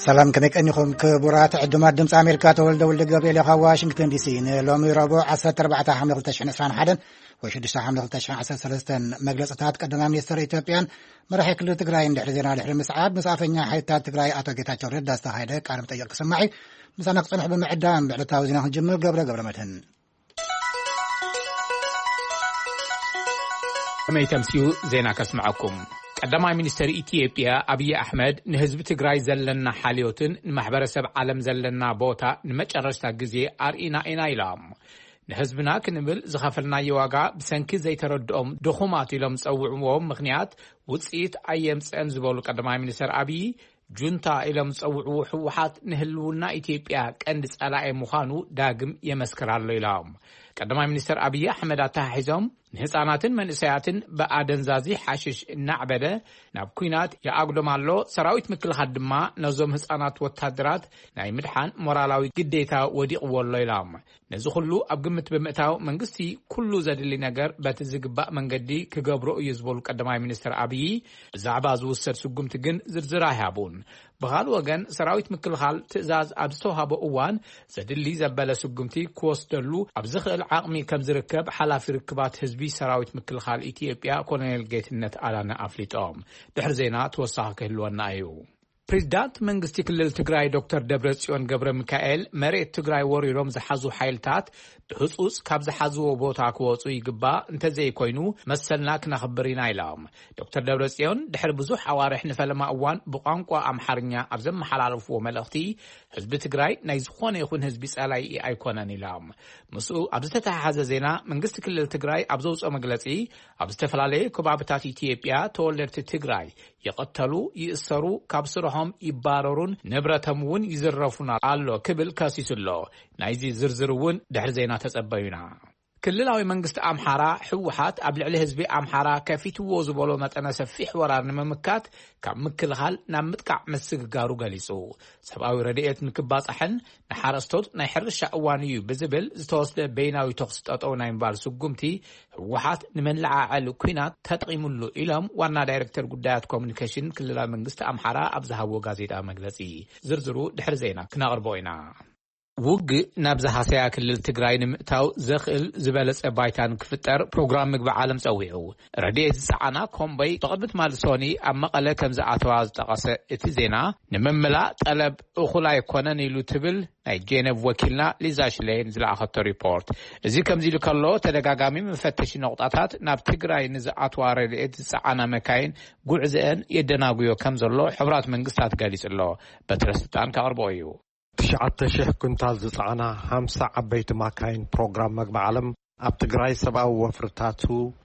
ሰላም፣ ከመይ ቀኒኹም ክቡራት ዕዱማት ድምፂ ኣሜሪካ? ተወልደ ወልደ ገብርኤል ካብ ዋሽንግተን ዲሲ። ንሎሚ ረቡዕ ዓሰርተ ኣርባዕተ ሓምለ ክልተ ሽሕን ዕስራን ሓደን ወይ ሽዱሽተ ሓምለ ክልተ ሽሕን ዓሰርተ ሰለስተን መግለፅታት ቀዳማይ ሚኒስትር ኢትዮጵያን መራሒ ክልል ትግራይን ድሕሪ ዜና ድሕሪ ምስዓብ ምስ ኣፈኛ ሓይልታት ትግራይ ኣቶ ጌታቸው ረዳ ዝተኻየደ ቃለ መጠይቕ ክስማዕ እዩ። ምሳና ክፀንሑ ብምዕዳም ብዕለታዊ ዜና ክንጅምር። ገብረ ገብረ መድህን ከመይ ተምስዩ ዜና ከስምዐኩም። ቀዳማይ ሚኒስትር ኢትዮጵያ ኣብይ ኣሕመድ ንህዝቢ ትግራይ ዘለና ሓልዮትን ንማሕበረሰብ ዓለም ዘለና ቦታ ንመጨረሽታ ግዜ ኣርኢና ኢና ኢሎም። ንህዝብና ክንብል ዝኸፈልናዮ ዋጋ ብሰንኪ ዘይተረድኦም ድኹማት ኢሎም ዝጸውዕዎም ምኽንያት ውጽኢት ኣየምጽአን ዝበሉ ቀዳማይ ሚኒስትር ኣብይ፣ ጁንታ ኢሎም ዝጸውዕዎ ህወሓት ንህልውና ኢትዮጵያ ቀንዲ ጸላኢ ምዃኑ ዳግም የመስክር ኣሎ ኢሎም። ቀዳማይ ሚኒስትር ኣብይ ኣሕመድ ኣተሓሒዞም፣ ንህፃናትን መንእሰያትን ብኣደንዛዚ ሓሽሽ እናዕበደ ናብ ኲናት ይኣጉዶም ኣሎ። ሰራዊት ምክልኻል ድማ ነዞም ህፃናት ወታደራት ናይ ምድሓን ሞራላዊ ግዴታ ወዲቕዎ ኣሎ ኢሎም። ነዚ ኩሉ ኣብ ግምት ብምእታው መንግስቲ ኩሉ ዘድሊ ነገር በቲ ዝግባእ መንገዲ ክገብሮ እዩ ዝበሉ ቀዳማይ ሚኒስትር ኣብይ፣ ብዛዕባ ዝውሰድ ስጉምቲ ግን ዝርዝር ኣይሃቡን። ብኻልእ ወገን ሰራዊት ምክልኻል ትእዛዝ ኣብ ዝተውሃቦ እዋን ዘድሊ ዘበለ ስጉምቲ ክወስደሉ ኣብ ዝኽእል ዓቕሚ ከም ዝርከብ ሓላፊ ርክባት ህዝቢ ሰራዊት ምክልኻል ኢትዮጵያ ኮሎኔል ጌትነት ኣዳነ ኣፍሊጦም። ድሕሪ ዜና ተወሳኺ ክህልወና እዩ። ፕሬዚዳንት መንግስቲ ክልል ትግራይ ዶክተር ደብረጽዮን ገብረ ሚካኤል መሬት ትግራይ ወሪሮም ዝሓዙ ሓይልታት ብህፁፅ ካብ ዝሓዝዎ ቦታ ክወፁ ይግባእ፣ እንተዘይኮይኑ መሰልና ክነኽብር ኢና ኢሎም። ዶክተር ደብረጽዮን ድሕሪ ብዙሕ ኣዋርሕ ንፈለማ እዋን ብቋንቋ ኣምሓርኛ ኣብ ዘመሓላለፍዎ መልእኽቲ፣ ህዝቢ ትግራይ ናይ ዝኾነ ይኹን ህዝቢ ጸላኢ ኣይኮነን ኢሎም። ምስኡ ኣብ ዝተተሓሓዘ ዜና መንግስቲ ክልል ትግራይ ኣብ ዘውፅኦ መግለፂ፣ ኣብ ዝተፈላለዩ ከባብታት ኢትዮጵያ ተወለድቲ ትግራይ ይቐተሉ፣ ይእሰሩ፣ ካብ ስርሖም ይባረሩን ንብረቶም እውን ይዝረፉን ኣሎ ክብል ከሲሱ ኣሎ። ናይዚ ዝርዝር እውን ድሕሪ ዜና ተጸበዩና። ክልላዊ መንግስቲ ኣምሓራ ህወሓት ኣብ ልዕሊ ህዝቢ ኣምሓራ ከፊትዎ ዝበሎ መጠነ ሰፊሕ ወራር ንምምካት ካብ ምክልኻል ናብ ምጥቃዕ ምስግጋሩ ገሊጹ። ሰብኣዊ ረድኤት ንክባጻሕን ንሓረስቶት ናይ ሕርሻ እዋን እዩ ብዝብል ዝተወስደ በይናዊ ተኹሲ ጠጠው ናይ ምባል ስጉምቲ ህወሓት ንመለዓዓሊ ኲናት ተጠቒሙሉ ኢሎም ዋና ዳይሬክተር ጉዳያት ኮሙኒኬሽን ክልላዊ መንግስቲ ኣምሓራ ኣብ ዝሃብዎ ጋዜጣ መግለጺ። ዝርዝሩ ድሕሪ ዜና ክነቕርቦ ኢና። ውግእ ናብ ዝሃሰያ ክልል ትግራይ ንምእታው ዘኽእል ዝበለጸ ባይታ ንክፍጠር ፕሮግራም ምግቢ ዓለም ጸዊዑ። ረድኤት ዝጸዓና ኮምቦይ ብቕድሚ ትማሊ ሶኒ ኣብ መቐለ ከም ዝኣተዋ ዝጠቐሰ እቲ ዜና፣ ንምምላእ ጠለብ እኹል ኣይኮነን ኢሉ ትብል ናይ ጄኔቭ ወኪልና ሊዛ ሽሌን ዝለኣኸቶ ሪፖርት። እዚ ከምዚ ኢሉ ከሎ፣ ተደጋጋሚ መፈተሺ ነቑጣታት ናብ ትግራይ ንዝኣትዋ ረድኤት ዝጸዓና መካይን ጉዕዝአን የደናጉዮ ከም ዘሎ ሕቡራት መንግስታት ገሊጹ ኣሎ። በትረ ስልጣን ከቕርቦ እዩ። ትሽዓተ ሽሕ ኩንታል ዝጸዓና ሓምሳ ዓበይቲ ማካይን ፕሮግራም መግቢ ዓለም ኣብ ትግራይ ሰብኣዊ ወፍርታቱ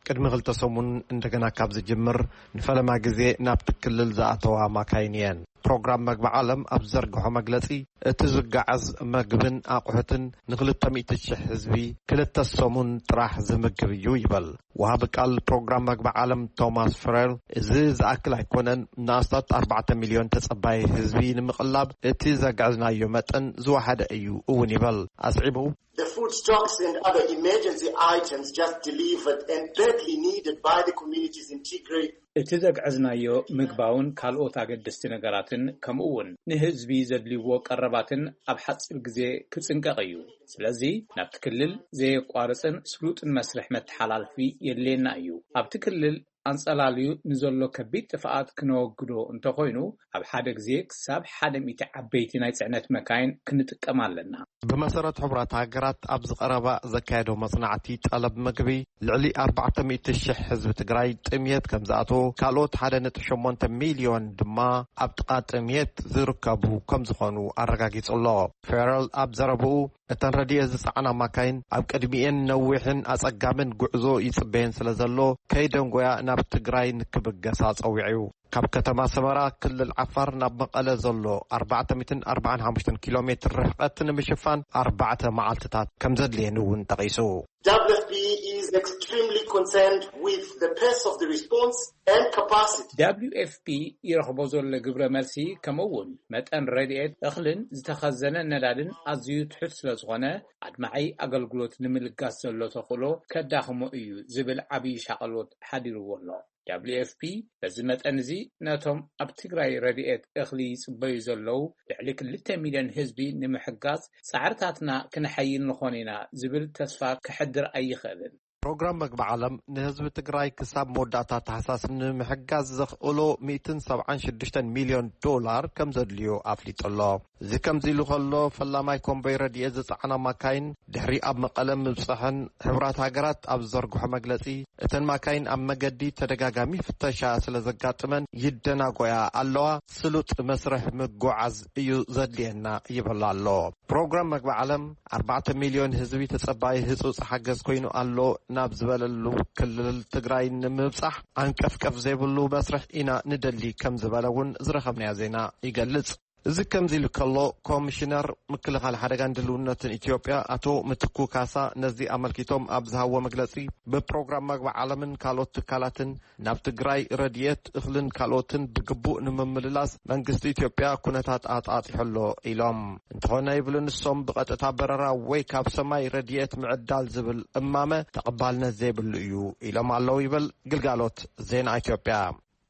ቅድሚ ክልተ ሰሙን እንደገና ካብ ዝጅምር ንፈለማ ግዜ ናብቲ ክልል ዝኣተዋ ማካይን እየን። ፕሮግራም መግቢ ዓለም ኣብ ዝዘርግሖ መግለጺ፣ እቲ ዝጋዓዝ መግብን ኣቑሑትን ንክልተ ሚእቲ ሽሕ ህዝቢ ክልተ ሰሙን ጥራሕ ዝምግብ እዩ ይበል። ወሃቢ ቃል ፕሮግራም መግቢ ዓለም ቶማስ ፍሬል፣ እዚ ዝኣክል ኣይኮነን፣ ንኣስታት ኣርባዕተ ሚልዮን ተጸባይ ህዝቢ ንምቕላብ እቲ ዘግዕዝናዮ መጠን ዝወሓደ እዩ እውን ይበል። ኣስዒቡ፣ The food stocks and other emergency items just delivered and badly needed by the communities in Tigray. እቲ ዘግዕዝናዮ ምግባውን ካልኦት ኣገደስቲ ነገራትን ከምኡ እውን ንህዝቢ ዘድልይዎ ቀረባትን ኣብ ሓጺር ግዜ ክጽንቀቕ እዩ። ስለዚ ናብቲ ክልል ዘየቋርጽን ስሉጥን መስርሕ መተሓላልፊ የድልየና እዩ። ኣብቲ ክልል ኣንጸላልዩ ንዘሎ ከቢድ ጥፍኣት ክነወግዶ እንተኾይኑ፣ ኣብ ሓደ ግዜ ክሳብ ሓደ ሚእቲ ዓበይቲ ናይ ጽዕነት መካይን ክንጥቀም ኣለና። ብመሰረት ሕቡራት ሃገራት ኣብዚ ቀረባ ዘካየዶ መጽናዕቲ ጠለብ ምግቢ፣ ልዕሊ ኣርባዕተ ሚእቲ ሽሕ ህዝቢ ትግራይ ጥምየት ከም ዝኣትዎ፣ ካልኦት ሓደ ነጥቢ ሸሞንተ ሚልዮን ድማ ኣብ ጥቓ ጥምየት ዝርከቡ ከም ዝኾኑ ኣረጋጊጹ ኣሎ። ፌረል ኣብ ዘረብኡ፣ እተን ረድኤት ዝጸዓና ማካይን ኣብ ቅድሚኤን ነዊሕን ኣጸጋምን ጉዕዞ ይጽበየን ስለ ዘሎ፣ ከይደንጎያ ናብ ትግራይ ንክብገሳ ጸዊዑ። ካብ ከተማ ሰመራ፣ ክልል ዓፋር፣ ናብ መቐለ ዘሎ ኣርባዕተ ሚእትን ኣርባዓን ሓሙሽተን ኪሎ ሜትር ርሕቀት ንምሽፋን ኣርባዕተ መዓልትታት ከም ዘድልየን እውን ጠቒሱ። W F P is extremely extremely concerned with the pace of the response and capacity. ደብሊዩ ኤፍ ፒ ይረኽቦ ዘሎ ግብረ መልሲ፣ ከምኡ እውን መጠን ረድኤት እኽልን ዝተኸዘነ ነዳድን ኣዝዩ ትሑት ስለ ዝኾነ፣ ኣድማዒ ኣገልግሎት ንምልጋስ ዘሎ ተኽእሎ ከዳኽሞ እዩ ዝብል ዓብዪ ሻቐሎት ሓዲርዎ ኣሎ። ደብሊዩ ኤፍ ፒ በዚ መጠን እዚ ነቶም ኣብ ትግራይ ረድኤት እኽሊ ይጽበዩ ዘለዉ ልዕሊ ክልተ ሚልዮን ህዝቢ ንምሕጋዝ ጻዕርታትና ክነሐይል ንኾን ኢና ዝብል ተስፋ ከሕድር ኣይኽእልን። ፕሮግራም መግቢ ዓለም ንህዝቢ ትግራይ ክሳብ መወዳእታ ታሕሳስ ንምሕጋዝ ዘኽእሎ ሚእትን ሰብዓን ሽዱሽተን ሚልዮን ዶላር ከም ዘድልዮ ኣፍሊጡ ኣሎ። እዚ ከምዚ ኢሉ ከሎ፣ ፈላማይ ኮምቦይ ረድኤት ዝጸዓና ማካይን ድሕሪ ኣብ መቐለ ምብጽሐን፣ ሕቡራት ሃገራት ኣብ ዝዘርግሖ መግለጺ፣ እተን ማካይን ኣብ መገዲ ተደጋጋሚ ፍተሻ ስለ ዘጋጥመን ይደናጎያ ኣለዋ። ስሉጥ መስርሕ ምጉዓዝ እዩ ዘድልየና ይብል ኣሎ። ፕሮግራም መግቢ ዓለም ኣርባዕተ ሚልዮን ህዝቢ ተጸባዪ ህጹጽ ሓገዝ ኮይኑ ኣሎ ናብ ዝበለሉ ክልል ትግራይ ንምብጻሕ ኣንቀፍቀፍ ዘይብሉ መስርሕ ኢና ንደሊ ከም ዝበለ እውን ዝረኸብናዮ ዜና ይገልጽ። እዚ ከምዚ ኢሉ ከሎ፣ ኮሚሽነር ምክልኻል ሓደጋን ድልውነትን ኢትዮጵያ ኣቶ ምትኩ ካሳ ነዚ ኣመልኪቶም ኣብ ዝሃብዎ መግለጺ፣ ብፕሮግራም መግቢ ዓለምን ካልኦት ትካላትን ናብ ትግራይ ረድኤት እኽልን ካልኦትን ብግቡእ ንምምልላስ መንግስቲ ኢትዮጵያ ኩነታት ኣጣጢሑ ኣሎ ኢሎም። እንተኾነ ይብሉ ንሶም፣ ብቐጥታ በረራ ወይ ካብ ሰማይ ረድኤት ምዕዳል ዝብል እማመ ተቐባልነት ዘይብሉ እዩ ኢሎም ኣለዉ ይብል ግልጋሎት ዜና ኢትዮጵያ።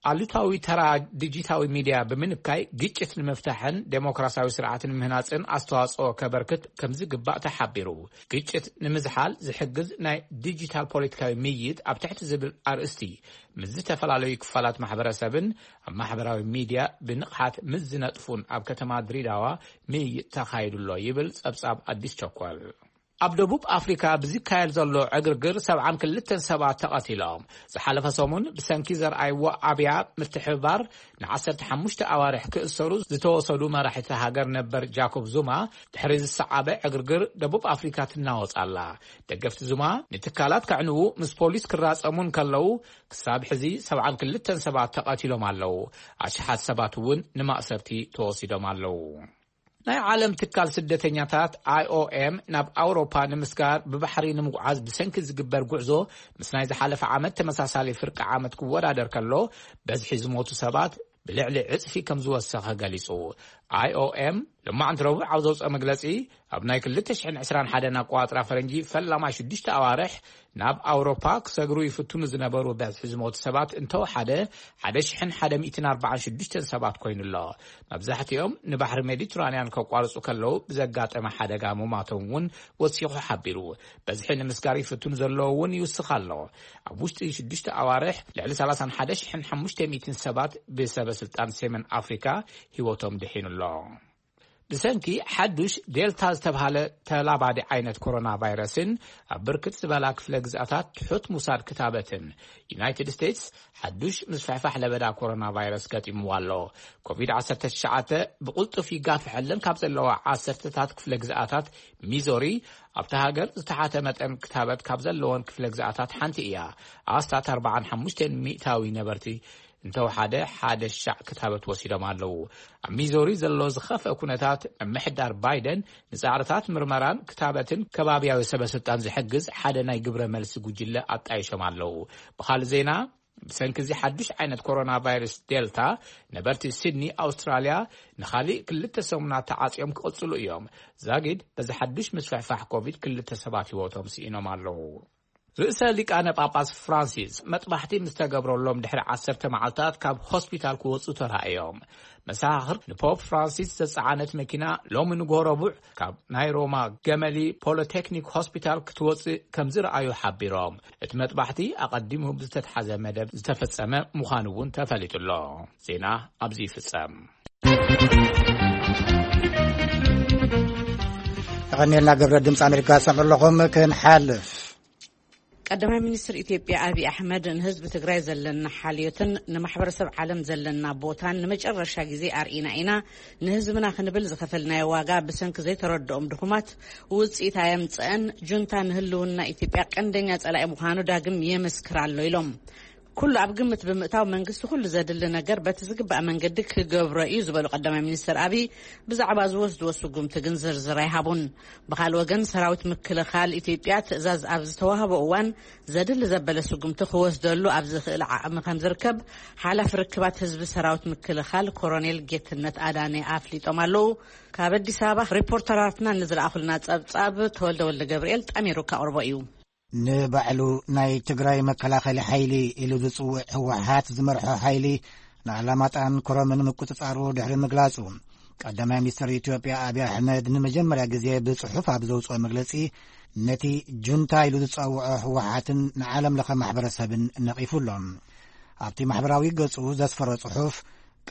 ኣሉታዊ ተራ ዲጂታዊ ሚድያ ብምንካይ ግጭት ንምፍታሕን ዴሞክራሲያዊ ስርዓት ንምህናፅን ኣስተዋፅኦ ከበርክት ከምዝግባእ ተሓቢሩ። ግጭት ንምዝሓል ዝሕግዝ ናይ ዲጂታል ፖለቲካዊ ምይይጥ ኣብ ትሕቲ ዝብል ኣርእስቲ ምስ ዝተፈላለዩ ክፋላት ማሕበረሰብን ኣብ ማሕበራዊ ሚድያ ብንቕሓት ምስ ዝነጥፉን ኣብ ከተማ ድሬዳዋ ምይይጥ ተኻይዱ ኣሎ ይብል ጸብጻብ ኣዲስ ቸኮል። ኣብ ደቡብ ኣፍሪካ ብዝካየድ ዘሎ ዕግርግር ሰብዓን ክልተን ሰባት ተቐቲሎም። ዝሓለፈ ሰሙን ብሰንኪ ዘርኣይዎ ኣብያ ምትሕብባር ንዓሰርተ ሓሙሽተ ኣዋርሕ ክእሰሩ ዝተወሰዱ መራሒ እታ ሃገር ነበር ጃኮብ ዙማ ድሕሪ ዝሰዓበ ዕግርግር ደቡብ ኣፍሪካ ትናወጽ ኣላ። ደገፍቲ ዙማ ንትካላት ከዕንዉ ምስ ፖሊስ ክራጸሙ እንከለዉ ክሳብ ሕዚ ሰብዓን ክልተን ሰባት ተቐቲሎም ኣለዉ። ኣሽሓት ሰባት እውን ንማእሰርቲ ተወሲዶም ኣለዉ። ናይ ዓለም ትካል ስደተኛታት ኣይ ኦ ኤም ናብ ኣውሮፓ ንምስጋር ብባሕሪ ንምጉዓዝ ብሰንኪ ዝግበር ጉዕዞ ምስ ናይ ዝሓለፈ ዓመት ተመሳሳሊ ፍርቂ ዓመት ክወዳደር ከሎ በዝሒ ዝሞቱ ሰባት ብልዕሊ ዕጽፊ ከም ዝወሰኸ ገሊጹ። ኣይ ኦ ኤም ሎማዕንቲ ረቡዕ ኣብ ዘውፅኦ መግለጺ፣ ኣብ ናይ ክልተ ሽሕን ዕስራን ሓደን ኣቆጻጽራ ፈረንጂ ፈላማይ ሽዱሽተ ኣዋርሕ ናብ ኣውሮፓ ክሰግሩ ይፍትኑ ዝነበሩ በዝሒ ዝሞቱ ሰባት እንተወሓደ ሓደ ሽሕን ሓደ ሚእትን ኣርባዓን ሽዱሽተን ሰባት ኮይኑ ኣሎ። መብዛሕትኦም ንባሕሪ ሜዲትራንያን ከቋርጹ ከለዉ ብዘጋጠመ ሓደጋ ምማቶም እውን ወሲኹ ሓቢሩ። በዝሒ ንምስጋር ይፍትኑ ዘለዉ እውን ይውስኽ ኣሎ። ኣብ ውሽጢ ሽዱሽተ ኣዋርሕ ልዕሊ ሰላሳን ሓደ ሽሕን ሓሙሽተ ሚእትን ሰባት ብሰበ ስልጣን ሰሜን ኣፍሪካ ህይወቶም ድሒኑ ኣሎ። ብሰንኪ ሓዱሽ ዴልታ ዝተብሃለ ተላባዲ ዓይነት ኮሮና ቫይረስን ኣብ ብርክት ዝበላ ክፍለ ግዝኣታት ትሑት ምውሳድ ክታበትን ዩናይትድ ስቴትስ ሓዱሽ ምስፍሕፋሕ ለበዳ ኮሮና ቫይረስ ገጢምዋ ኣሎ። ኮቪድ ዓሰርተ ትሽዓተ ብቕልጡፍ ይጋፍሐለን ካብ ዘለዋ ዓሰርተታት ክፍለ ግዝኣታት ሚዞሪ ኣብታ ሃገር ዝተሓተ መጠን ክታበት ካብ ዘለወን ክፍለ ግዝኣታት ሓንቲ እያ። ኣስታት ኣርባዓን ሓሙሽተን ሚእታዊ ነበርቲ እንተወሓደ ሓደ ሻዕ ክታበት ወሲዶም ኣለዉ። ኣብ ሚዞሪ ዘሎ ዝኸፍአ ኩነታት ምምሕዳር ባይደን ንጻዕርታት ምርመራን ክታበትን ከባብያዊ ሰበ ስልጣን ዝሕግዝ ሓደ ናይ ግብረ መልሲ ጉጅለ ኣጣይሾም ኣለዉ። ብኻልእ ዜና፣ ብሰንኪ እዚ ሓዱሽ ዓይነት ኮሮና ቫይረስ ዴልታ ነበርቲ ሲድኒ ኣውስትራልያ ንኻሊእ ክልተ ሰሙናት ተዓጽዮም ክቕጽሉ እዮም። ዛጊድ በዚ ሓዱሽ ምስፍሕፋሕ ኮቪድ ክልተ ሰባት ህይወቶም ስኢኖም ኣለዉ። ርእሰ ሊቃነ ጳጳስ ፍራንሲስ መጥባሕቲ ምስ ተገብረሎም ድሕሪ ዓሰርተ መዓልታት ካብ ሆስፒታል ክወጹ ተራእዮም። መሳኻኽር ንፖፕ ፍራንሲስ ዘጸዓነት መኪና ሎሚ ንግሆ ረቡዕ ካብ ናይ ሮማ ገመሊ ፖሊቴክኒክ ሆስፒታል ክትወጽእ ከም ዝረኣዩ ሓቢሮም። እቲ መጥባሕቲ ኣቐዲሙ ብዝተትሓዘ መደብ ዝተፈጸመ ምዃኑ እውን ተፈሊጡ ኣሎ። ዜና ኣብዚ ይፍጸም። ተቐኒልና ግብረ ድምፂ ኣሜሪካ ሰምዑ ኣለኹም። ክንሓልፍ ቀዳማይ ሚኒስትር ኢትዮጵያ ኣብይ ኣሕመድ ንህዝቢ ትግራይ ዘለና ሓልዮትን ንማሕበረሰብ ዓለም ዘለና ቦታን ንመጨረሻ ግዜ ኣርኢና ኢና፣ ንህዝብና ክንብል ዝኸፈልናዮ ዋጋ ብሰንኪ ዘይተረድኦም ድኹማት ውፅኢት ኣየምፀአን፣ ጁንታ ንህልውና ኢትዮጵያ ቀንደኛ ፀላኢ ምዃኑ ዳግም የመስክር ኣሎ ኢሎም። ኩሉ ኣብ ግምት ብምእታው መንግስቲ ኩሉ ዘድሊ ነገር በቲ ዝግባእ መንገዲ ክገብሮ እዩ ዝበሉ ቀዳማይ ሚኒስትር ኣብይ፣ ብዛዕባ ዝወስድዎ ስጉምቲ ግን ዝርዝር ኣይሃቡን። ብኻልእ ወገን፣ ሰራዊት ምክልኻል ኢትዮጵያ ትእዛዝ ኣብ ዝተዋህቦ እዋን ዘድሊ ዘበለ ስጉምቲ ክወስደሉ ኣብ ዝኽእል ዓቕሚ ከም ዝርከብ ሓላፊ ርክባት ህዝቢ ሰራዊት ምክልኻል ኮሮኔል ጌትነት ኣዳነ ኣፍሊጦም ኣለዉ። ካብ ኣዲስ ኣበባ ሪፖርተራትና ንዝለኣኹልና ጸብጻብ ተወልደ ወልደ ገብርኤል ጠሚሩ ካቕርቦ እዩ። ንባዕሉ ናይ ትግራይ መከላኸሊ ሓይሊ ኢሉ ዝጽውዕ ህወሓት ዝመርሖ ሓይሊ ንኣላማጣን ኮረምን ምቁጽጻሩ ድሕሪ ምግላጹ፣ ቀዳማይ ሚኒስትር ኢትዮጵያ ኣብይ ኣሕመድ ንመጀመርያ ግዜ ብጽሑፍ ኣብ ዘውጽኦ መግለጺ፣ ነቲ ጁንታ ኢሉ ዝጸውዖ ህወሓትን ንዓለም ለኸ ማሕበረሰብን ነቒፉ ኣሎ። ኣብቲ ማሕበራዊ ገጹ ዘስፈሮ ጽሑፍ፣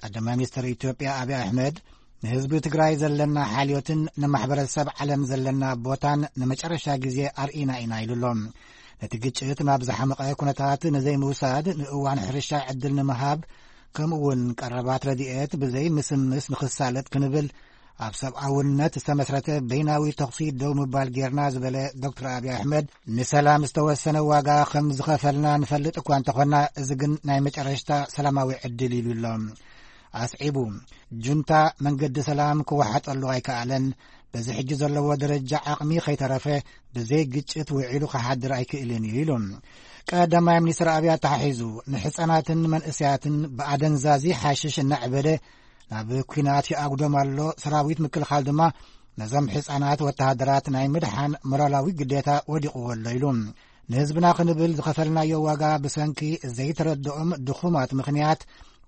ቀዳማይ ሚኒስትር ኢትዮጵያ ኣብይ ኣሕመድ፣ ንህዝቢ ትግራይ ዘለና ሓልዮትን ንማሕበረሰብ ዓለም ዘለና ቦታን ንመጨረሻ ግዜ ኣርኢና ኢና ኢሉ ኣሎ። ነቲ ግጭት ናብ ዝሓመቐ ኩነታት ንዘይምውሳድ፣ ንእዋን ሕርሻ ዕድል ንምሃብ፣ ከምኡ እውን ቀረባት ረድኤት ብዘይ ምስምስ ንኽሳለጥ ክንብል፣ ኣብ ሰብኣውነት ዝተመስረተ በይናዊ ተኹሲ ደው ምባል ጌርና ዝበለ ዶክተር ኣብይ ኣሕመድ፣ ንሰላም ዝተወሰነ ዋጋ ከም ዝኸፈልና ንፈልጥ እኳ እንተኾና፣ እዚ ግን ናይ መጨረሽታ ሰላማዊ ዕድል ኢሉ ኣሎ። ኣስዒቡ፣ ጁንታ መንገዲ ሰላም ክወሓጠሉ ኣይከኣለን፣ በዚ ሕጂ ዘለዎ ደረጃ ዓቕሚ ከይተረፈ ብዘይ ግጭት ውዒሉ ክሓድር ኣይክእልን እዩ ኢሉ። ቀዳማይ ሚኒስትር ኣብይ ኣተሓሒዙ፣ ንሕፃናትን መንእሰያትን ብኣደንዛዚ ሓሽሽ እናዕበደ ናብ ኲናት ይኣጉዶም ኣሎ። ሰራዊት ምክልኻል ድማ ነዞም ሕፃናት ወተሃደራት ናይ ምድሓን ሞራላዊ ግዴታ ወዲቕዎ ኣሎ ኢሉ። ንህዝብና ክንብል ዝኸፈልናዮ ዋጋ ብሰንኪ ዘይተረድኦም ድኹማት ምኽንያት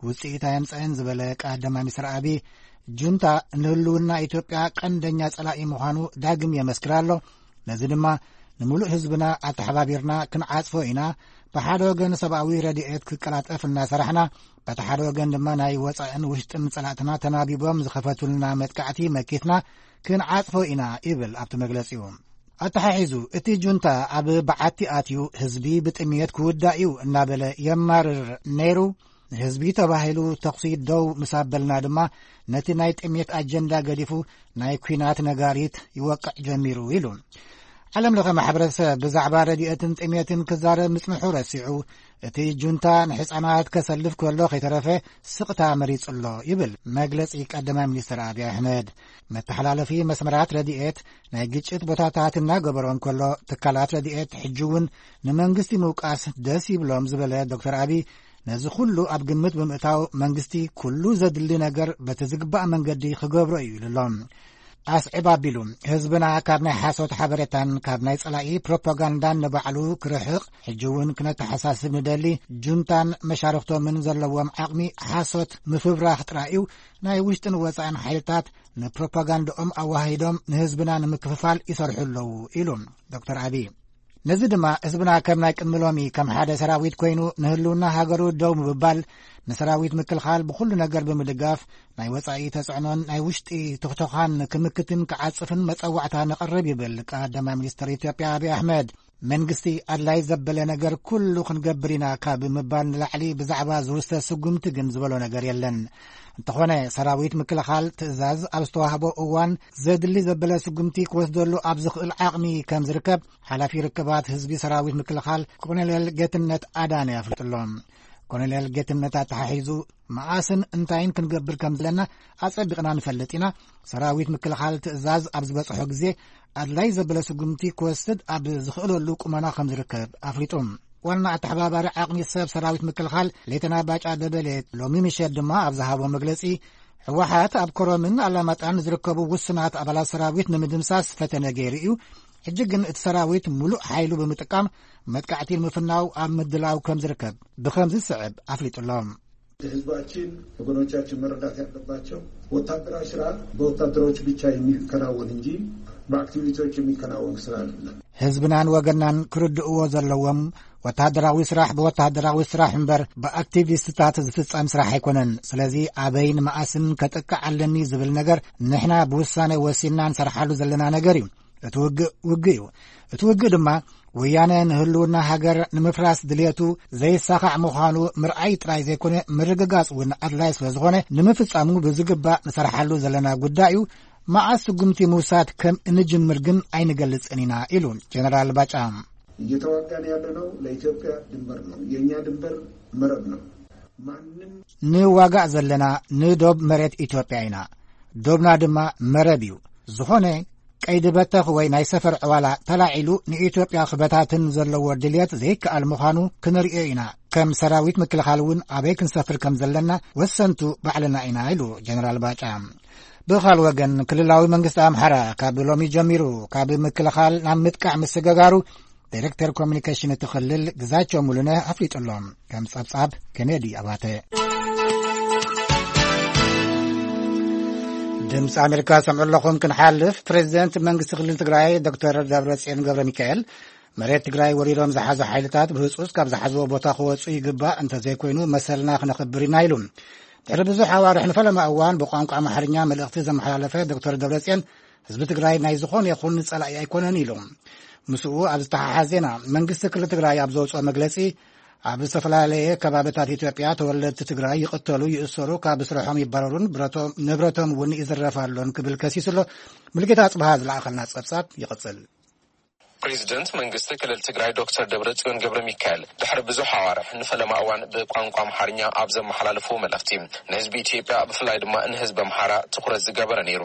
ውፅኢት ኣየምፀአን ዝበለ ቀዳማይ ሚኒስትር ኣብይ፣ ጁንታ ንህልውና ኢትዮጵያ ቀንደኛ ጸላኢ ምዃኑ ዳግም የመስክር ኣሎ። ነዚ ድማ ንምሉእ ህዝብና ኣተሓባቢርና ክንዓጽፎ ኢና። ብሓደ ወገን ሰብኣዊ ረድኤት ክቀላጠፍ እናሰራሕና፣ በቲ ሓደ ወገን ድማ ናይ ወጻእን ውሽጥን ጸላእትና ተናቢቦም ዝኸፈቱልና መጥቃዕቲ መኪትና ክንዓጽፎ ኢና ይብል ኣብቲ መግለጺኡ። ኣተሓሒዙ፣ እቲ ጁንታ ኣብ በዓቲ ኣትዩ ህዝቢ ብጥምየት ክውዳእ እዩ እናበለ የማርር ነይሩ። ንህዝቢ ተባሂሉ ተኹሲ ደው ምስ ኣበልና ድማ፣ ነቲ ናይ ጥሜት ኣጀንዳ ገዲፉ ናይ ኲናት ነጋሪት ይወቅዕ ጀሚሩ ኢሉ። ዓለም ለኸ ማሕበረሰብ ብዛዕባ ረድኤትን ጥሜትን ክዛረብ ምጽንሑ ረሲዑ፣ እቲ ጁንታ ንሕፃናት ከሰልፍ ከሎ ከይተረፈ ስቕታ መሪጹ ኣሎ ይብል መግለጺ ቀዳማይ ሚኒስትር ኣብይ ኣሕመድ። መተሓላለፊ መስመራት ረድኤት ናይ ግጭት ቦታታት እናገበሮ እንከሎ፣ ትካላት ረድኤት ሕጂ እውን ንመንግስቲ ምውቃስ ደስ ይብሎም ዝበለ ዶክተር ኣብይ፣ ነዚ ኩሉ ኣብ ግምት ብምእታው መንግስቲ ኩሉ ዘድሊ ነገር በቲ ዝግባእ መንገዲ ክገብሮ እዩ ኢሉ ኣሎ። ኣስዕብ ኣቢሉ፣ ህዝብና ካብ ናይ ሓሶት ሓበሬታን ካብ ናይ ጸላኢ ፕሮፓጋንዳን ንባዕሉ ክርሕቕ ሕጂ እውን ክነተሓሳስብ ንደሊ። ጁንታን መሻርኽቶምን ዘለዎም ዓቕሚ ሓሶት ምፍብራኽ ጥራይ እዩ። ናይ ውሽጥን ወጻእን ሓይልታት ንፕሮፓጋንዳኦም ኣዋሂዶም ንህዝብና ንምክፍፋል ይሰርሑ ኣለዉ ኢሉ ዶክተር ኣብይ። ነዚ ድማ ህዝብና ከም ናይ ቅድሚ ሎሚ ከም ሓደ ሰራዊት ኮይኑ ንህልውና ሃገሩ ደው ምብባል፣ ንሰራዊት ምክልኻል ብኹሉ ነገር ብምድጋፍ፣ ናይ ወጻኢ ተጽዕኖን ናይ ውሽጢ ትኽተዃን ክምክትን ክዓጽፍን መጸዋዕታ ነቕርብ ይብል ቀዳማይ ሚኒስትር ኢትዮጵያ ኣብይ ኣሕመድ። መንግስቲ ኣድላይ ዘበለ ነገር ኩሉ ክንገብር ኢና ካብ ምባል ንላዕሊ ብዛዕባ ዝውሰድ ስጉምቲ ግን ዝበሎ ነገር የለን። እንተኾነ ሰራዊት ምክልኻል ትእዛዝ ኣብ ዝተዋህቦ እዋን ዘድሊ ዘበለ ስጉምቲ ክወስደሉ ኣብ ዝኽእል ዓቕሚ ከም ዝርከብ ሓላፊ ርክባት ህዝቢ ሰራዊት ምክልኻል ኮሎኔል ጌትነት ኣዳነ ኣፍሊጡ ኣሎ። ኮሎኔል ጌትነት ኣተሓሒዙ፣ መኣስን እንታይን ክንገብር ከም ዘለና ኣጸቢቕና ንፈልጥ ኢና። ሰራዊት ምክልኻል ትእዛዝ ኣብ ዝበጽሖ ግዜ ኣድላይ ዘበለ ስጉምቲ ክወስድ ኣብ ዝኽእለሉ ቁመና ከም ዝርከብ ኣፍሊጡ። ዋና ኣተሓባባሪ ዓቕሚ ሰብ ሰራዊት ምክልኻል ሌተና ባጫ ደበሌ ሎሚ ምሸት ድማ ኣብ ዝሃቦ መግለጺ፣ ህወሓት ኣብ ኮረምን ኣላማጣን ዝርከቡ ውሱናት ኣባላት ሰራዊት ንምድምሳስ ፈተነ ገይሩ እዩ። ሕጂ ግን እቲ ሰራዊት ሙሉእ ሓይሉ ብምጥቃም መጥቃዕቲ ንምፍናው ኣብ ምድላው ከም ዝርከብ ብኸም ዝስዕብ ኣፍሊጡ ኣሎ። ህዝባችን፣ ወገኖቻችን መረዳት ያለባቸው ወታደራዊ ስራ በወታደሮች ብቻ የሚከናወን እንጂ በአክቲቪስቶች የሚከናወን ስራ አይደለም። ህዝብናን ወገናን ክርድእዎ ዘለዎም፣ ወታደራዊ ስራሕ ብወታደራዊ ስራሕ እምበር ብኣክቲቪስትታት ዝፍጸም ስራሕ ኣይኮነን። ስለዚ ኣበይን መኣስን ከጥቅዕ ኣለኒ ዝብል ነገር ንሕና ብውሳነ ወሲንና ንሰርሓሉ ዘለና ነገር እዩ። እቲ ውግእ ውግእ እዩ። እቲ ውግእ ድማ ወያነ ንህልውና ሃገር ንምፍራስ ድልየቱ ዘይሳኻዕ ምዃኑ ምርኣይ ጥራይ ዘይኮነ፣ ምርግጋጽ እውን ኣድላይ ስለ ዝኾነ፣ ንምፍጻሙ ብዝግባእ ንሰርሓሉ ዘለና ጉዳይ እዩ። መዓስ ስጉምቲ ምውሳድ ከም እንጅምር ግን ኣይንገልጽን ኢና ኢሉ ጀነራል ባጫ። እየተዋጋን ያለነው ለኢትዮጵያ ድንበር ነው። የእኛ ድንበር መረብ ነው። ማንም ንዋጋእ ዘለና ንዶብ መሬት ኢትዮጵያ ኢና። ዶብና ድማ መረብ እዩ። ዝኾነ ቀይዲ በተኽ ወይ ናይ ሰፈር ዕዋላ ተላዒሉ ንኢትዮጵያ ክበታትን ዘለዎ ድልየት ዘይከኣል ምዃኑ ክንርእዮ ኢና። ከም ሰራዊት ምክልኻል እውን ኣበይ ክንሰፍር ከም ዘለና ወሰንቱ ባዕልና ኢና ኢሉ ጀነራል ባጫ። ብኻል ወገን ክልላዊ መንግስቲ ኣምሓራ ካብ ሎሚ ጀሚሩ ካብ ምክልኻል ናብ ምጥቃዕ ምስግጋሩ ዳይሬክተር ኮሚኒኬሽን እቲ ክልል ግዛቸው ሙሉነ ኣፍሊጡ ኣሎ። ከም ጸብጻብ ኬኔዲ ኣባተ። ድምፂ ኣሜሪካ ሰምዑ ኣለኹም። ክንሓልፍ ፕሬዚደንት መንግስቲ ክልል ትግራይ ዶክተር ደብረጽዮን ገብረ ሚካኤል መሬት ትግራይ ወሪሮም ዝሓዙ ሓይልታት ብህፁፅ ካብ ዝሓዝዎ ቦታ ክወፁ ይግባእ፣ እንተዘይኮይኑ መሰልና ክነኽብር ኢና ኢሉ። ድሕሪ ብዙሕ ኣዋርሕ ንፈለማ እዋን ብቋንቋ ኣምሓርኛ መልእኽቲ ዘመሓላለፈ ዶክተር ደብረጽዮን ህዝቢ ትግራይ ናይ ዝኾነ ይኹን ጸላኢ ኣይኮነን ኢሉ። ምስኡ ኣብ ዝተሓሓዝ ዜና መንግስቲ ክልል ትግራይ ኣብ ዘውፅኦ መግለፂ ኣብ ዝተፈላለየ ከባብታት ኢትዮጵያ ተወለድቲ ትግራይ ይቕተሉ፣ ይእሰሩ፣ ካብ ስርሖም ይባረሩን ብረቶም ንብረቶም እውን ይዝረፍ ኣሎን ክብል ከሲሱ ኣሎ። ሙልጌታ ኣጽብሃ ዝለኣኸልና ጸብጻብ ይቕጽል። ፕሬዚደንት መንግስቲ ክልል ትግራይ ዶክተር ደብረጽዮን ገብረ ሚካኤል ድሕሪ ብዙሕ ኣዋርሕ ንፈለማ እዋን ብቋንቋ ኣምሓርኛ ኣብ ዘመሓላለፍዎ መልእኽቲ ንህዝቢ ኢትዮጵያ ብፍላይ ድማ ንህዝቢ ኣምሓራ ትኹረት ዝገበረ ነይሩ።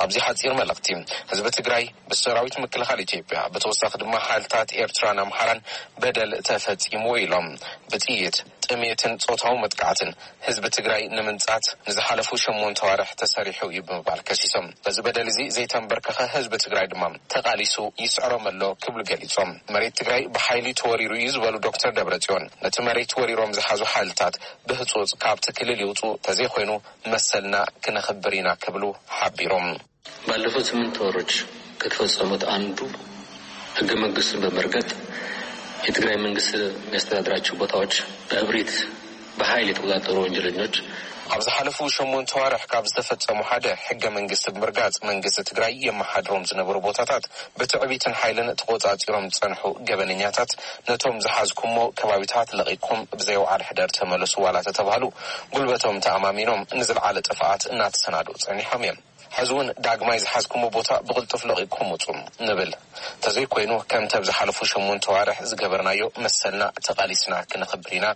ኣብዚ ሓጺር መልእኽቲ ህዝቢ ትግራይ ብሰራዊት ምክልኻል ኢትዮጵያ ብተወሳኺ ድማ ሓይልታት ኤርትራን ኣምሓራን በደል ተፈጺሙ ኢሎም። ብጥይት፣ ጥሜትን ጾታዊ መጥቃዕትን ህዝቢ ትግራይ ንምንጻት ንዝሓለፉ ሸሞንተ ዋርሕ ተሰሪሑ እዩ ብምባል ከሲሶም። በዚ በደል እዚ ዘይተንበርከኸ ህዝቢ ትግራይ ድማ ተቓሊሱ ይስዕሮም ኣሎ ክብሉ ገሊጾም። መሬት ትግራይ ብሓይሊ ተወሪሩ እዩ ዝበሉ ዶክተር ደብረጽዮን ነቲ መሬት ወሪሮም ዝሓዙ ሓይልታት ብህጹጽ ካብቲ ክልል ይውጹ፣ ተዘይኮይኑ መሰልና ክነኽብር ኢና ክብሉ ሓቢሮም። ባለፉት ስምንት ወሮች ከተፈጸሙት አንዱ ህገ መንግስቱን በመርገጥ የትግራይ መንግስት የሚያስተዳድራቸው ቦታዎች በእብሪት በኃይል የተቆጣጠሩ ወንጀለኞች ኣብ ዝሓለፉ ሸሞንተ ዋርሕ ካብ ዝተፈጸሙ ሓደ ሕገ መንግስቲ ብምርጋጽ መንግስቲ ትግራይ የመሓድሮም ዝነበሩ ቦታታት ብትዕቢትን ሓይልን ተቆጻጺሮም ዝጸንሑ ገበነኛታት ነቶም ዝሓዝኩሞ ከባቢታት ለቒኩም ብዘይ ወዓል ሕደር ተመለሱ ዋላ ተተባህሉ ጉልበቶም ተኣማሚኖም ንዝለዓለ ጥፍኣት እናተሰናድኡ ጸኒሖም እዮም። ሕዚ እውን ዳግማይ ዝሓዝኩሞ ቦታ ብቕልጡፍ ለቒኩም ውጹ ንብል። እንተዘይኮይኑ ከምቲ ኣብ ዝሓለፉ ሸሞንተ ዋርሕ ዝገበርናዮ መሰልና ተቓሊስና ክነኽብር ኢና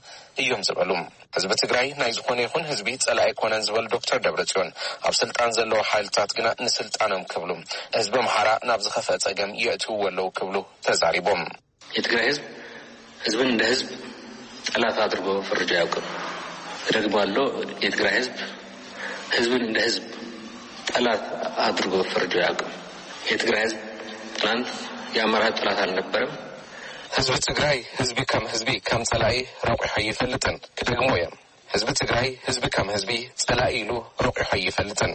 እዮም ዝበሉ። ህዝቢ ትግራይ ናይ ዝኾነ ይኹን ህዝቢ ጸላኢ ኣይኮነን ዝበሉ ዶክተር ደብረጽዮን ኣብ ስልጣን ዘለዉ ሓይልታት ግና ንስልጣኖም ክብሉ ህዝቢ ኣምሓራ ናብ ዝኸፍአ ጸገም የእትውዎ ኣለዉ ክብሉ ተዛሪቦም። የትግራይ ህዝብ ህዝብን እንደ ህዝብ ጠላት አድርጎ ፈርጆ አያውቅም። እደግመዋለሁ፣ የትግራይ ህዝብ ህዝብን እንደ ህዝብ ጠላት አድርጎ ፈርጆ አያውቅም። የትግራይ ህዝብ ትናንት የአማራ ህዝብ ጠላት አልነበረም። ህዝቢ ትግራይ ህዝቢ ከም ህዝቢ ከም ጸላኢ ረቂሑ ኣይፈልጥን። ክደግሞ እየ። ህዝቢ ትግራይ ህዝቢ ከም ህዝቢ ጸላኢ ኢሉ ረቂሑ ኣይፈልጥን።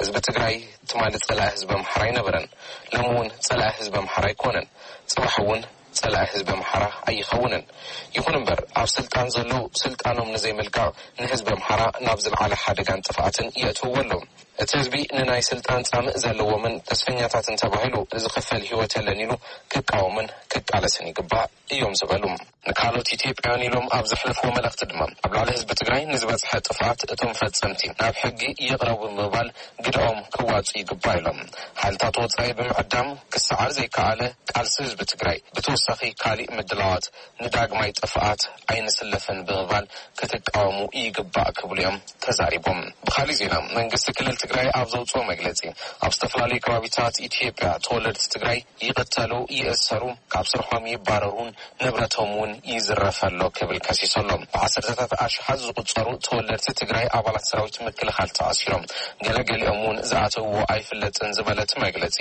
ህዝቢ ትግራይ ትማሊ ጸላኢ ህዝቢ ኣምሓራ ኣይነበረን። ሎሚ እውን ጸላኢ ህዝቢ ኣምሓራ ኣይኮነን። ጽባሕ እውን ጸላኢ ህዝቢ ኣምሓራ ኣይኸውንን። ይኹን እምበር ኣብ ስልጣን ዘለዉ ስልጣኖም ንዘይምልቃቕ ንህዝቢ ኣምሓራ ናብ ዝለዓለ ሓደጋን ጥፍኣትን የእትውዎ ኣለዉ። እቲ ህዝቢ ንናይ ስልጣን ጻምእ ዘለዎምን ተስፈኛታትን ተባሂሉ ዝኽፈል ህይወት የለን ኢሉ ክቃወምን ክቃለስን ይግባእ እዮም ዝበሉ። ንካልኦት ኢትዮጵያውያን ኢሎም ኣብ ዘሕለፍዎ መልእኽቲ ድማ ኣብ ልዕሊ ህዝቢ ትግራይ ንዝበጽሐ ጥፍኣት እቶም ፈጸምቲ ናብ ሕጊ ይቕረቡ ብምባል ግደኦም ክዋጹ ይግባእ ኢሎም። ሓይልታት ወጻኢ ብምዕዳም ክሰዓር ዘይከኣለ ቃልሲ ህዝቢ ትግራይ ብተወሳኺ ካሊእ ምድላዋት ንዳግማይ ጥፍኣት ኣይንስለፍን ብምባል ክትቃወሙ ይግባእ ክብሉ እዮም ተዛሪቦም። ብኻሊእ ዜና መንግስቲ ክልል ትግራይ ኣብ ዘውፅኦ መግለፂ ኣብ ዝተፈላለዩ ከባቢታት ኢትዮጵያ ተወለድቲ ትግራይ ይቕተሉ፣ ይእሰሩ፣ ካብ ስርሖም ይባረሩን ንብረቶም እውን ይዝረፍ ኣሎ ክብል ከሲሱ ኣሎ። ብዓሰርተታት ኣሽሓት ዝቑጸሩ ተወለድቲ ትግራይ ኣባላት ሰራዊት ምክልኻል ተኣሲሮም፣ ገለገሊኦም እውን ዝኣተውዎ ኣይፍለጥን ዝበለ እቲ መግለጺ፣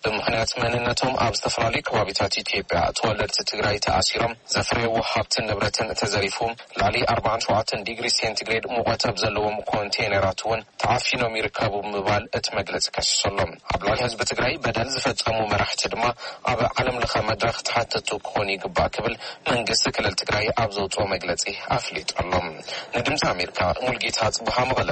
ብምኽንያት መንነቶም ኣብ ዝተፈላለዩ ከባቢታት ኢትዮጵያ ተወለድቲ ትግራይ ተኣሲሮም፣ ዘፍረይዎ ሃብትን ንብረትን ተዘሪፉ፣ ልዕሊ ኣርባዓን ሸውዓተን ዲግሪ ሴንቲግሬድ ሙቐት ኣብ ዘለዎም ኮንቴነራት እውን ተዓፊኖም ይርከቡ ብምባል እቲ መግለጺ ከሲሱ ኣሎ። ኣብ ልዕሊ ህዝቢ ትግራይ በደል ዝፈጸሙ መራሕቲ ድማ ኣብ ዓለም ለኸ መድረኽ ተሓተቱ ክኾኑ ይግባእ ክብል መንግስቲ ክልል ትግራይ ኣብ ዘውፅኦ መግለጺ ኣፍሊጡ ኣሎ። ንድምፂ ኣሜሪካ ሙልጌታ ጽቡሃ መቐለ።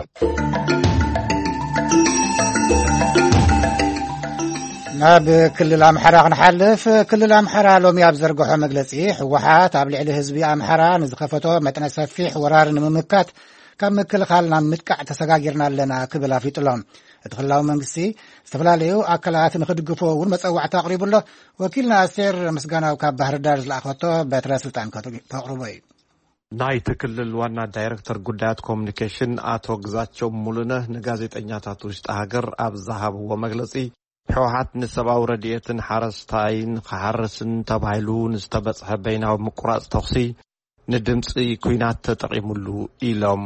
ናብ ክልል ኣምሓራ ክንሓልፍ፣ ክልል ኣምሓራ ሎሚ ኣብ ዘርግሖ መግለጺ፣ ህወሓት ኣብ ልዕሊ ህዝቢ ኣምሓራ ንዝኸፈቶ መጠነ ሰፊሕ ወራር ንምምካት ካብ ምክልኻል ናብ ምጥቃዕ ተሰጋጊርና ኣለና ክብል ኣፍሊጡ ኣሎ። እቲ ክልላዊ መንግስቲ ዝተፈላለዩ ኣካላት ንኽድግፎ እውን መጸዋዕታ ኣቕሪቡ ኣሎ። ወኪልና ኣስቴር ምስጋናው ካብ ባህር ዳር ዝለኣኸቶ በትረ ስልጣን ከት-፣ ከቕርቦ እዩ። ናይቲ ክልል ዋና ዳይረክተር ጉዳያት ኮሚኒኬሽን ኣቶ ግዛቸው ሙሉነህ ንጋዜጠኛታት ውሽጢ ሃገር ኣብ ዝሃብዎ መግለጺ፣ ህወሓት ንሰብኣዊ ረድኤትን ሓረስታይን ክሓርስን ተባሂሉ ንዝተበጽሐ በይናዊ ምቁራጽ ተኹሲ ንድምፂ ኲናት ተጠቒሙሉ ኢሎም።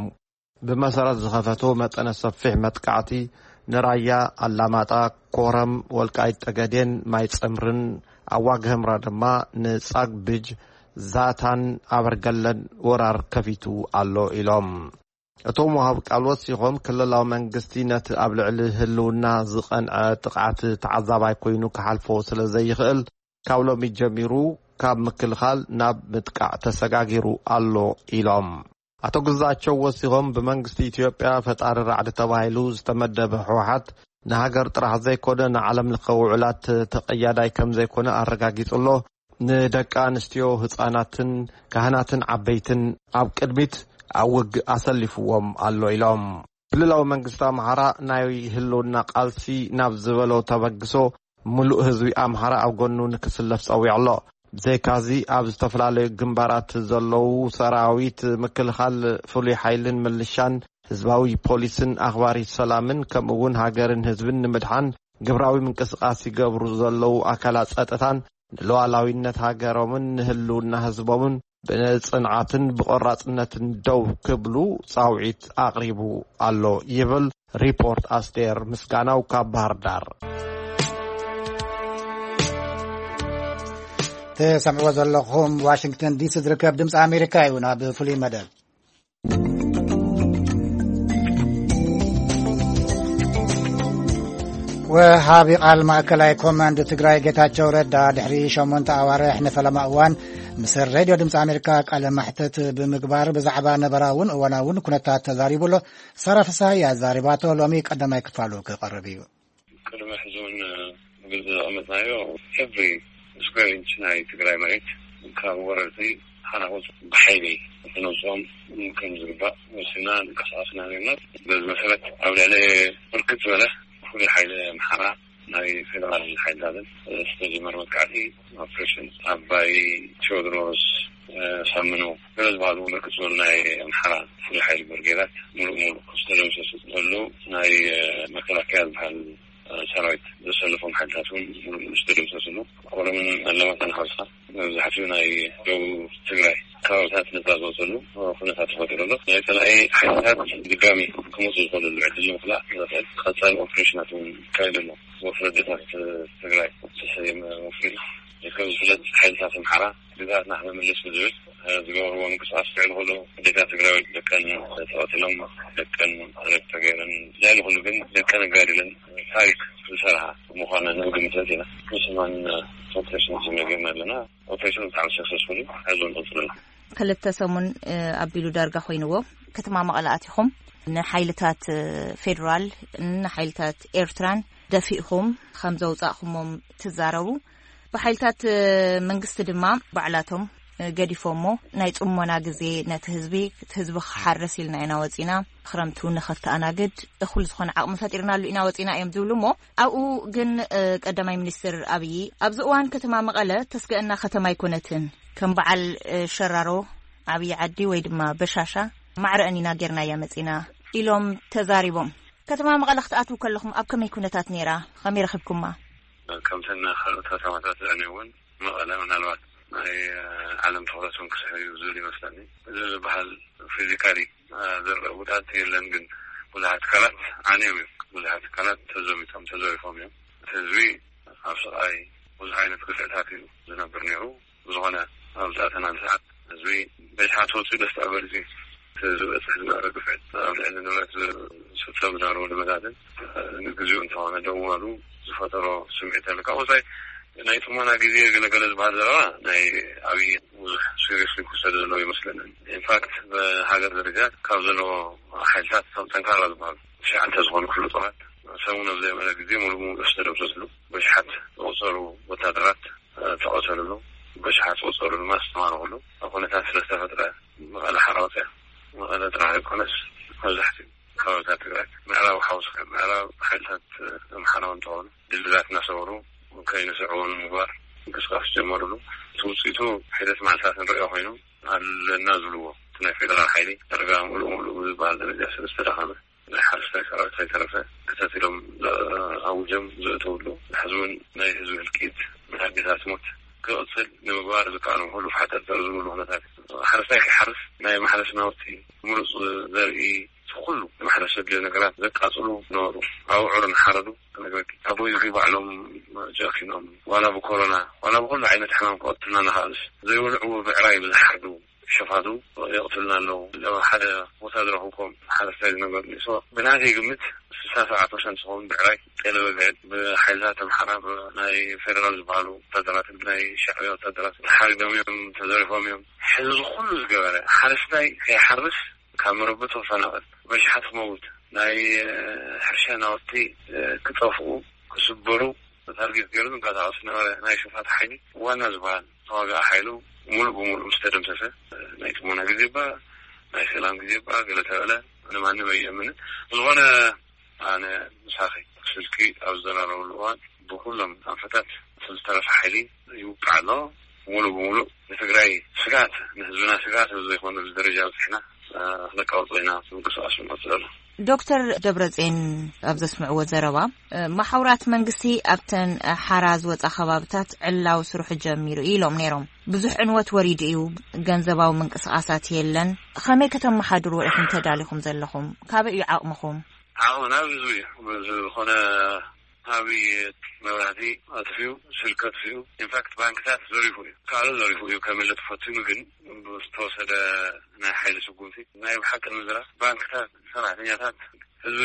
ብመሰረት ዝኸፈቶ መጠነ ሰፊሕ መጥቃዕቲ ንራያ፣ ኣላማጣ፣ ኮረም፣ ወልቃይት ጠገዴን ማይ ጸምርን ኣዋግህምራ ድማ ንጻግብጅ፣ ዛታን ኣበርገለን ወራር ከፊቱ ኣሎ ኢሎም። እቶም ወሃብ ቃል ወሲኾም፣ ክልላዊ መንግስቲ ነቲ ኣብ ልዕሊ ህልውና ዝቐንዐ ጥቕዓት ተዓዛባይ ኮይኑ ክሓልፎ ስለ ዘይኽእል፣ ካብ ሎሚ ጀሚሩ ካብ ምክልኻል ናብ ምጥቃዕ ተሰጋጊሩ ኣሎ ኢሎም። ኣቶ ግዛቸው ወሲኾም፣ ብመንግስቲ ኢትዮጵያ ፈጣሪ ራዕዲ ተባሂሉ ዝተመደበ ህወሓት ንሃገር ጥራሕ ዘይኮነ ንዓለም ለኸ ውዕላት ተቐያዳይ ከም ዘይኮነ ኣረጋጊጹ ኣሎ። ንደቂ ኣንስትዮ፣ ህጻናትን ካህናትን ዓበይትን ኣብ ቅድሚት ኣብ ውግእ ኣሰሊፍዎም ኣሎ ኢሎም። ክልላዊ መንግስቲ ኣምሓራ ናይ ህልውና ቃልሲ ናብ ዝበሎ ተበግሶ፣ ምሉእ ህዝቢ ኣምሓራ ኣብ ጎኑ ንክስለፍ ጸዊዑ ኣሎ። ብዘይካዚ ኣብ ዝተፈላለዩ ግንባራት ዘለዉ ሰራዊት ምክልኻል፣ ፍሉይ ሓይልን ምልሻን፣ ህዝባዊ ፖሊስን ኣኽባሪ ሰላምን፣ ከምኡ እውን ሃገርን ህዝብን ንምድሓን ግብራዊ ምንቅስቓስ ይገብሩ ዘለዉ ኣካላት ጸጥታን ንሉዓላዊነት ሃገሮምን ንህልውና ህዝቦምን ብጽንዓትን ብቆራጽነትን ደው ክብሉ ጻውዒት ኣቕሪቡ ኣሎ ይብል ሪፖርት ኣስቴር ምስጋናው ካብ ባህር ዳር። ተሰምዕዎ ዘለኹም ዋሽንግተን ዲሲ ዝርከብ ድምፂ ኣሜሪካ እዩ። ናብ ፍሉይ መደብ ወሃቢ ቃል ማእከላይ ኮማንድ ትግራይ ጌታቸው ረዳ ድሕሪ ሸሞንተ ኣዋርሕ ንፈለማ እዋን ምስ ሬድዮ ድምፂ ኣሜሪካ ቃለ ማሕተት ብምግባር ብዛዕባ ነበራውን እዋናውን ኩነታት ተዛሪቡ ኣሎ። ሳራ ፍስሃ እያ ዛሪባቶ። ሎሚ ቀዳማይ ክፋሉ ክቐርብ እዩ። ቅድሚ ሕዚ እውን ብግልፂ ዘቐመጥናዮ every square inch ናይ ትግራይ መሬት ካብ ወረርቲ ሓናቑት ብሓይሊ ክነውፅኦም ከም ዝግባእ ወሲና ንቀሳቐስና ነርና። በዚ መሰረት ኣብ ልዕሊ ብርክት ዝበለ ፍሉይ ሓይሊ ኣምሓራ ናይ ፌደራል ሓይልታትን ዝተጀመረ መጥቃዕቲ ኦፕሬሽን ኣባይ ቴዎድሮስ፣ ሳምኑ ገለ ዝበሃሉ ብርክት ዝበሉ ናይ ኣምሓራ ፍሉይ ሓይሊ ብርጌዳት ሙሉእ ሙሉእ ዝተደምሰሱ፣ ዘሎ ናይ መከላከያ ዝበሃል ሰራዊት ዘሰለፎም ሓይልታት እውን ሙሉእ ሙሉእ ዝተደምሰስሉ፣ ኮረምን ኣለማጣን ሓውስካ መብዛሕትኡ ናይ ደቡብ ትግራይ ከባብታት ነፃ ዝወፀሉ ኩነታት ተፈጢሩ ኣሎ። ናይ ፀላኢ ሓይልታት ድጋሚ ክመፁ ዝኽእልሉ ዕድል ንምኽላእ ዘኽእል ቀፃሊ ኦፕሬሽናት እውን ይካየድ ኣሎ። ወፍሪ ኣዴታት ትግራይ ዝተሰየመ ወፍሪ እዩ። ከም ዝፍለጥ ሓይልታት ኣምሓራ ግዝኣትና ክነምልስ ብዝብል ዝገበርዎ ምንቅስቃስ ልዕሊ ኩሉ ኣዴታት ትግራይ ደቀን ተቐቲሎም፣ ደቀን ሬፕ ተገይረን፣ ልዕሊ ኩሉ ግን ደቀን ኣጋዲለን ታሪክ ዝሰርሓ ምዃነን ንግምት ኢና። ንስማን ኦፕሬሽን ተሰሚዕና ኣለና። ኦፕሬሽን ብጣዕሚ ሰክሰስፉል እዩ። ሕዚ ንቕፅል ኣለና። ክልተ ሰሙን ኣቢሉ ዳርጋ ኮይንዎ። ከተማ መቐለ ኣቲኹም ንሓይልታት ፌዴራል፣ ንሓይልታት ኤርትራን ደፊእኹም ከም ዘውፃእኹሞም ትዛረቡ። ብሓይልታት መንግስቲ ድማ ባዕላቶም ገዲፎሞ ናይ ጽሞና ግዜ ነቲ ህዝቢ፣ እቲ ህዝቢ ክሓርስ ኢልና ኢና ወጺና፣ ክረምቱ ንኸተኣናግድ እኹል ዝኾነ ዓቕሚ ፈጢርናሉ ኢና ወጺና እዮም ዝብሉ። እሞ ኣብኡ ግን ቀዳማይ ሚኒስትር ኣብይ ኣብዚ እዋን ከተማ መቐለ ተስገእና ከተማ ኣይኮነትን፣ ከም በዓል ሸራሮ፣ ዓብዪ ዓዲ ወይ ድማ በሻሻ ማዕረአን ኢና ጌርናያ መጺና ኢሎም ተዛሪቦም። ከተማ መቐለ ክትኣትዉ ከለኹም ኣብ ከመይ ኩነታት ነይራ? ከመይ ረኺብኩማ? ከምተን ካልኦት ከተማታት ዝዕነይ እውን መቐለ ምናልባት ናይ ዓለም ትኹረት እውን ክስሕብ እዩ ዝብል ይመስለኒ። እዚ ዝበሃል ፊዚካሊ ዝረአ ጉድኣት የለን፣ ግን ብዙሓት ትካላት ዓንዮም እዮም። ብዙሓት ትካላት ተዘሚቶም፣ ተዘሪፎም እዮም። እቲ ህዝቢ ኣብ ስቓይ ብዙሕ ዓይነት ግፍዕታት እዩ ዝነብር ነይሩ። ብዝኾነ ኣብዚ ኣተናን ሰዓት ህዝቢ በሽሓት ወፂኡ ደስታ ገሊፁ እዩ። እቲ ዝበፅሕ ዝነበረ ግፍዕት ኣብ ልዕሊ ንብረት ዝፍፀም ዝነበረ ውድመታትን ንግዚኡ እንተኾነ ደው ምባሉ ዝፈጠሮ ስምዒት ኣሎ። ካብ ወፃኢ ናይ ጥሞና ግዜ ገለገለ ዝበሃል ዘረባ ናይ ኣብይ ብዙሕ ሲሪየስሊ ክወሰድ ዘለዎ ይመስለንን። ኢንፋክት ብሃገር ደረጃ ካብ ዘለዎ ሓይልታት እቶም ጠንካራ ዝበሃሉ ትሽዓተ ዝኾኑ ክፍለ ጦራት ሰሙን ኣብ ዘይመለ ግዜ ሙሉ ሙሉ ዝተደምሰስሉ በሽሓት ዝቑፀሩ ወታደራት ተቐተልሉ፣ በሽሓት ዝቑጸሩ ድማ ዝተማረኹሉ ኩነታት ስለ ዝተፈጥረ፣ መቐለ ሓራ ወፅያ፣ መቐለ ጥራሕ ዘይኮነስ መብዛሕትኡ ከባብታት ትግራይ፣ ምዕራብ ሓውስካ፣ ምዕራብ ሓይልታት ይብልዎ። እቲ ናይ ፌደራል ሓይሊ ዳርጋ ምሉእ ምሉእ ብዝበሃል ደረጃ ስለ ዝተዳኸመ፣ ናይ ሓረስታይ ሰራዊት ከይተረፈ ክተት ኢሎም ኣውጆም ዘእተውሉ፣ ሕዚ እውን ናይ ህዝቢ ህልቂት፣ ናይ ኣዴታት ሞት ክቕፅል ንምግባር ዝከኣሎም ኩሉ ፋሕጠርጠር ዝብሉ ኩነታት፣ ሓረስታይ ከይሓርስ ናይ ማሕረስ ናውቲ፣ ምሩፅ ዘርኢ፣ ኩሉ ማሕረስ ዘድልዮ ነገራት ዘቃፅሉ ነበሩ። ኣብዑር እናሓረዱ ክነግረኪ፣ ኣቦይ ዝኪ ባዕሎም ጨኪኖም፣ ዋላ ብኮሮና ዋላ ብኩሉ ዓይነት ሕማም ክቐትሉና ንኽኣልስ ዘይበልዕዎ ብዕራይ ብዝሓርዱ ሸፋቱ የቕትሉና ኣለዉ። ኣብ ሓደ ቦታ ዝረኽብኩም ሓረስታይ ዝነገሩኒ። ሶ ብናተይ ግምት ስሳ ሰብዓ ፐርሰንት ዝኸውን ብዕራይ ጤለ በግዕን ብሓይልታት ኣምሓራ፣ ብናይ ፌደራል ዝበሃሉ ወታደራት፣ ብናይ ሻዕብያ ወታደራት ተሓሪዶም እዮም፣ ተዘሪፎም እዮም። ሕዚ እዚ ኩሉ ዝገበረ ሓረስታይ ከይሓርስ፣ ካብ መረበቱ ክፈናቐል፣ በሽሓት ክመውት፣ ናይ ሕርሻ ናውቲ ክጠፍኡ፣ ክስበሩ ታርጌት ገይሩ ዝንቀሳቐስ ነበረ። ናይ ሸፋቱ ሓይሊ ዋና ዝበሃል ተዋጋኢ ሓይሉ ሙሉእ ብሙሉእ ምስ ተደምሰሰ፣ ናይ ጥሞና ግዜ እባ፣ ናይ ሰላም ግዜ እባ ገለ ተበለ፣ ንማንም ኣይእምንን። ዝኾነ ኣነ ምሳኺ ስልኪ ኣብ ዝዘራረበሉ እዋን ብኩሎም ኣንፈታት እቲ ዝተረፈ ሓይሊ ይውቃዕ ኣሎ። ሙሉእ ብሙሉእ ንትግራይ ስጋት፣ ንህዝብና ስጋት ኣብ ዘይኮነሉ ደረጃ በፂሕና፣ እ፣ ክነቃውጾ ኢና ምንቅስቃስ ንቐፅል ኣሎ። ዶክተር ደብረጽዮን ኣብ ዘስምዕዎ ዘረባ፣ እ፣ መሓውራት መንግስቲ ኣብተን ሓራ ዝወጻ ከባብታት ዕላዊ ስርሑ ጀሚሩ እዩ ኢሎም ነይሮም። ብዙሕ ዕንወት ወሪዱ እዩ፣ ገንዘባዊ ምንቅስቃሳት የለን። ከመይ ከተመሓድርዎ ኢኹም ተዳሊኹም ዘለኹም? ካበይ እዩ ዓቕምኹም? ዓቕምና ህዝቢ እዩ። ዝኾነ ዓብዪ መብራህቲ ኣጥፊኡ፣ ስልኪ ኣጥፊኡ፣ ኢንፋክት ባንክታት ዘሪፉ እዩ። ካልእ ዘሪፉ እዩ ከመልጥ ፈቲኑ፣ ግን ብዝተወሰደ ናይ ሓይሊ ስጉምቲ፣ ናይ ብሓቂ ንምዝራብ ባንክታት፣ ሰራሕተኛታት፣ ህዝቢ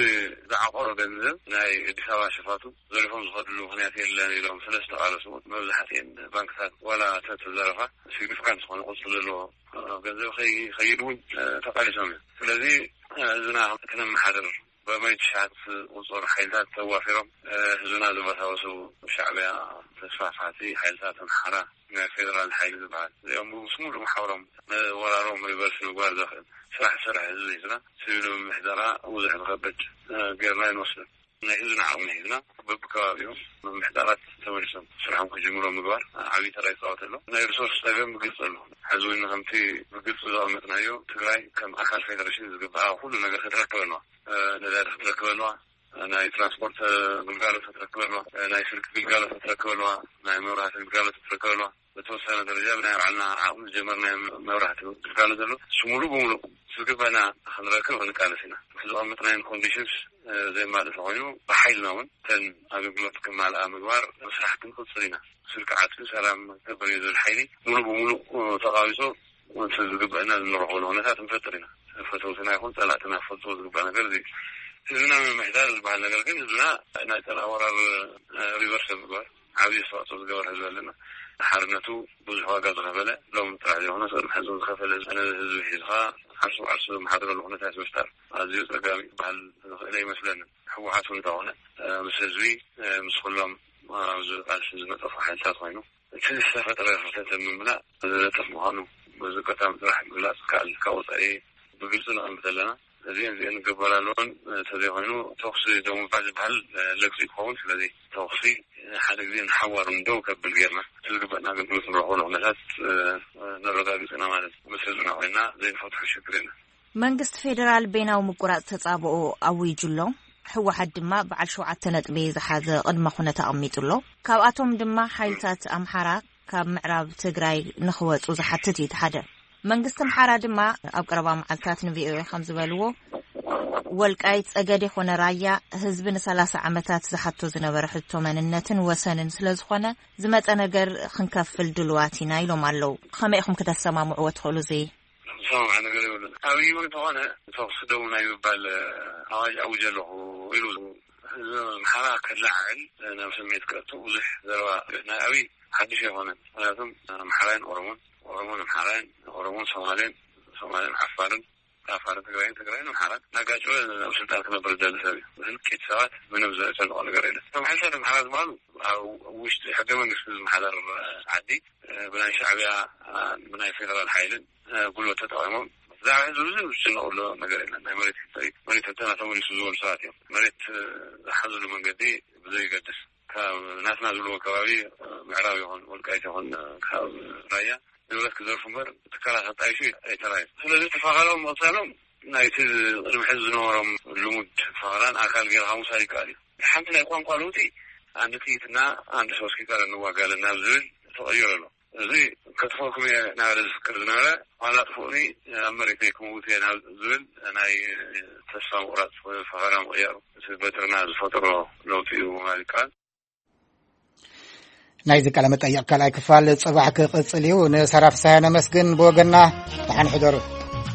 ዝዓቆሮ ገንዘብ ናይ ኣዲስ ኣበባ ሸፋቱ ዘሪፎም ዝኸድሉ ምኽንያት የለን ኢሎም ስለ ዝተቓለሱ፣ መብዛሕትኤን ባንክታት ዋላ ተተዘረፋ ሲግኒፊካንት ዝኾነ ቁፅሪ ዘለዎ ገንዘብ ከይ-፣ ከይድ እውን ተቓሊሶም እዮም። ስለዚ ህዝብና ክነመሓድር በማይ ትሽዓት ቁፅር ሓይልታት ተዋፊሮም፣ እ፣ ህዝብና ዘበሳበሱ ሻዕብያ ተስፋፋሕቲ ሓይልታት ኣምሓራ፣ ናይ ፌደራል ሓይሊ ዝበሃል፣ እዚኦም ምስ ሙሉእ መሓውሮም፣ እ፣ ወራሮም ሪቨርስ ምግባር ዘኽእል ስራሕ ዝሰርሐ ህዝቢ ህዝብና፣ ሲቪል ምምሕዳራ ብዙሕ ዝኸብድ፣ እ፣ ጌርና ኣይንወስድን። ናይ ህዝብና ዓቕሚ ሒዝና በብከባቢኡ ምምሕዳራት ተመሊሶም ስርሖም ክጅምሩ ምግባር ዓብዪ ተራ ይፃወት ኣሎ። ናይ ሪሶርስ ፀገም ብግልፂ ኣሎ። ሕዚ እውን ከምቲ ብግልፂ ዘቐመጥናዮ፣ ትግራይ ከም ኣካል ፌደሬሽን ዝግብኣ ኩሉ ነገር ክትረክብ ኣለዋ። እ፣ ነዳዲ ክትረክብ ኣለዋ፣ ናይ ትራንስፖርት፣ እ፣ ግልጋሎት ክትረክብ ኣለዋ፣ እ፣ ናይ ስልኪ ግልጋሎት ክትረክብ ኣለዋ፣ ናይ መብራህቲ ግልጋሎት ክትረክብ ኣለዋ። በተወሰነ ደረጃ ብናይ ባዕልና ዓቕሚ ዝጀመርናዮ መብራህቲ ግልጋሎት ዘሎ፣ እሱ ሙሉእ ብሙሉእ ዝግበና ክንረክብ ክንቃለስ ኢና። እቲ ዘቐመጥናዮን ኮንዲሽንስ፣ እ፣ ዘየማልእ ተኾይኑ፣ ብሓይልና እውን እተን ኣገልግሎት ክማልኣ ምግባር ስራሕ ክንቅፅል ኢና። ስልኪ ዓፅዩ ሰላም ክገብር እዩ ዝብል ሓይሊ ሙሉእ ብሙሉእ፣ እ፣ ተቓዊፁ፣ እቲ ዝግበአና እንረኽበሉ ኩነታት ንፈጥር ኢና። ፈተውትና ይኹን ጸላእትና ክፈልጥዎ ዝግባእ ነገር እዚ እዩ። ህዝብና ምምሕዳር ዝበሃል ነገር ግን ህዝብና ናይ ጸላኢ ወራር፣ እ፣ ሪቨርስ ብምግባር ዓብዪ ኣስተዋጽኦ ዝገበር ህዝቢ ኣለና። ሓርነቱ ብዙሕ ዋጋ ዝኸፈለ፣ ሎም ጥራሕ ዘይኮነ ቅድሚ ሕዚ ዝኸፈለ ህዝቢ፣ ነዚ ህዝቢ ሒዝኻ ዓርሱ ዓርሱ ዝመሓድረሉ ኩነታት ምፍጣር ኣዝዩ ጸጋሚ ክበሃል ዝኽእል ኣይመስለንን። ህወሓት እውን እንተኾነ፣ እ፣ ምስ ህዝቢ፣ እ፣ ምስ ኩሎም ኣብዚ ቃልሲ ዝነጠፉ ሓይልታት ኮይኑ፣ እቲ ዝተፈጠረ ክፍተት ንምምላእ ዝነጥፍ ምዃኑ በዚ ኣጋጣሚ ጥራሕ ምግላፅ ይከኣል። ካብ ወፃኢ ብግልፂ ነቐምጥ ኣለና። እዚአን እዚአን ክግበር ኣለዎን፣ እንተዘይኮይኑ ተኹሲ ደው ምባል ዝበሃል ለግፂ ይኸውን። ስለዚ ተኹሲ ሓደ ግዜ ንሓዋሩ ደው ከብል ጌርና፣ እቲ ዝግበእና ኣገልግሎት ንረኽበሉ ኩነታት ነረጋግፅ ኢና ማለት እዩ። ምስ ህዝብና ኮይና ዘይንፈትሖ ሽግር የለን። መንግስቲ ፌዴራል በይናዊ ምቁራጽ ተጻብኦ ኣዊጁ ኣሎ። ህወሓት ድማ በዓል ሸውዓተ ነጥቢ ዝሓዘ ቅድመ ኩነት ኣቐሚጡ ኣሎ። ካብኣቶም ድማ ሓይልታት ኣምሓራ ካብ ምዕራብ ትግራይ ንኽወጹ ዝሓትት እዩ እቲ ሓደ። መንግስቲ ኣምሓራ ድማ ኣብ ቀረባ መዓልታት ንቪኦኤ ከም ዝበልዎ፣ ወልቃይት ጸገዴ ኾነ ራያ ህዝቢ ንሰላሳ ዓመታት ዝሓቶ ዝነበረ ሕቶ መንነትን ወሰንን ስለ ዝኾነ ዝመጸ ነገር ክንከፍል ድልዋት ኢና ኢሎም ኣለዉ። ከመይ ኢኹም ክተሰማምዕዎ ትኽእሉ እዚ? ዝሰማማዕ ነገር የብሉን። ኣብይ እውን እንተኾነ ተኹሲ ደው ናይ ምባል ኣዋጅ ኣውጀ ኣለኹ ኢሉ ህዝቢ ኣምሓራ ከለዓዕል ናብ ስምዒት ከእቱ ብዙሕ ዘረባ ናይ ኣብይ ሓድሽ ኣይኮነን። ምክንያቱም ኣምሓራይን ኦሮሞን፣ ኦሮሞን ኣምሓራይን፣ ኦሮሞን ሶማሌን፣ ሶማሌን ዓፋርን፣ ዓፋርን ትግራይን፣ ትግራይን ኣምሓራን እናጋጨወ ኣብ ስልጣን ክነብር ዝደሊ ሰብ እዩ። ህልቂት ሰባት ምንም ዘጨንቆ ነገር የለን። እቶም ሓይልታት ኣምሓራ ዝበሃሉ ኣብ ውሽጢ ሕገ መንግስቲ ዝመሓደር ዓዲ ብናይ ሻዕብያ ብናይ ፌደራል ሓይልን ጉልበት ተጠቒሞም ብዛዕባ ህዝቢ ብዙሕ ዝጭነቕሉ ነገር የለን። ናይ መሬት ሕቶ እዩ። መሬት ሕቶና ተመሊሱ ዝበሉ ሰባት እዮም። መሬት ዝሓዝሉ መንገዲ ብዘይገድስ ካብ ናትና ዝብልዎ ከባቢ ምዕራብ ይኹን ወልቃይት ይኹን ካብ ራያ ንብረት ክዘርፉ እምበር ትካላት ኣጣይሹ ኣይተራእዩን። ኣካሎም መቕተሎም ናይቲ ቅድሚ ሕዚ ዝነበሮም ልሙድ ፈኸራን ኣካል ገይርካ ምውሳድ ይከኣል እዩ። ሓንቲ ናይ ቋንቋ ለውጢ፣ ኣንድ ጥይትና ኣንድ ሶስት ኪካር እንዋጋለን ናብ ዝብል ተቐይሩ ኣሎ። እዚ ከጥፈኩም እየ እናበለ ዝፍክር ዝነበረ፣ ዋላ ጥፍኡኒ ኣብ መሬት ክመውት እየ ናብ ዝብል ናይ ተስፋ ምቑራፅ ፈኸራ ምቕያሩ፣ እቲ በትርና ዝፈጠሮ ለውጢ እዩ ማለት ይከኣል። ናይዚ ቃለ መጠይቕ ካልኣይ ክፋል ጽባሕ ክቕጽል እዩ። ንሳራ ፍስሃ ነመስግን። ብወገና ደሓን ሕደሩ።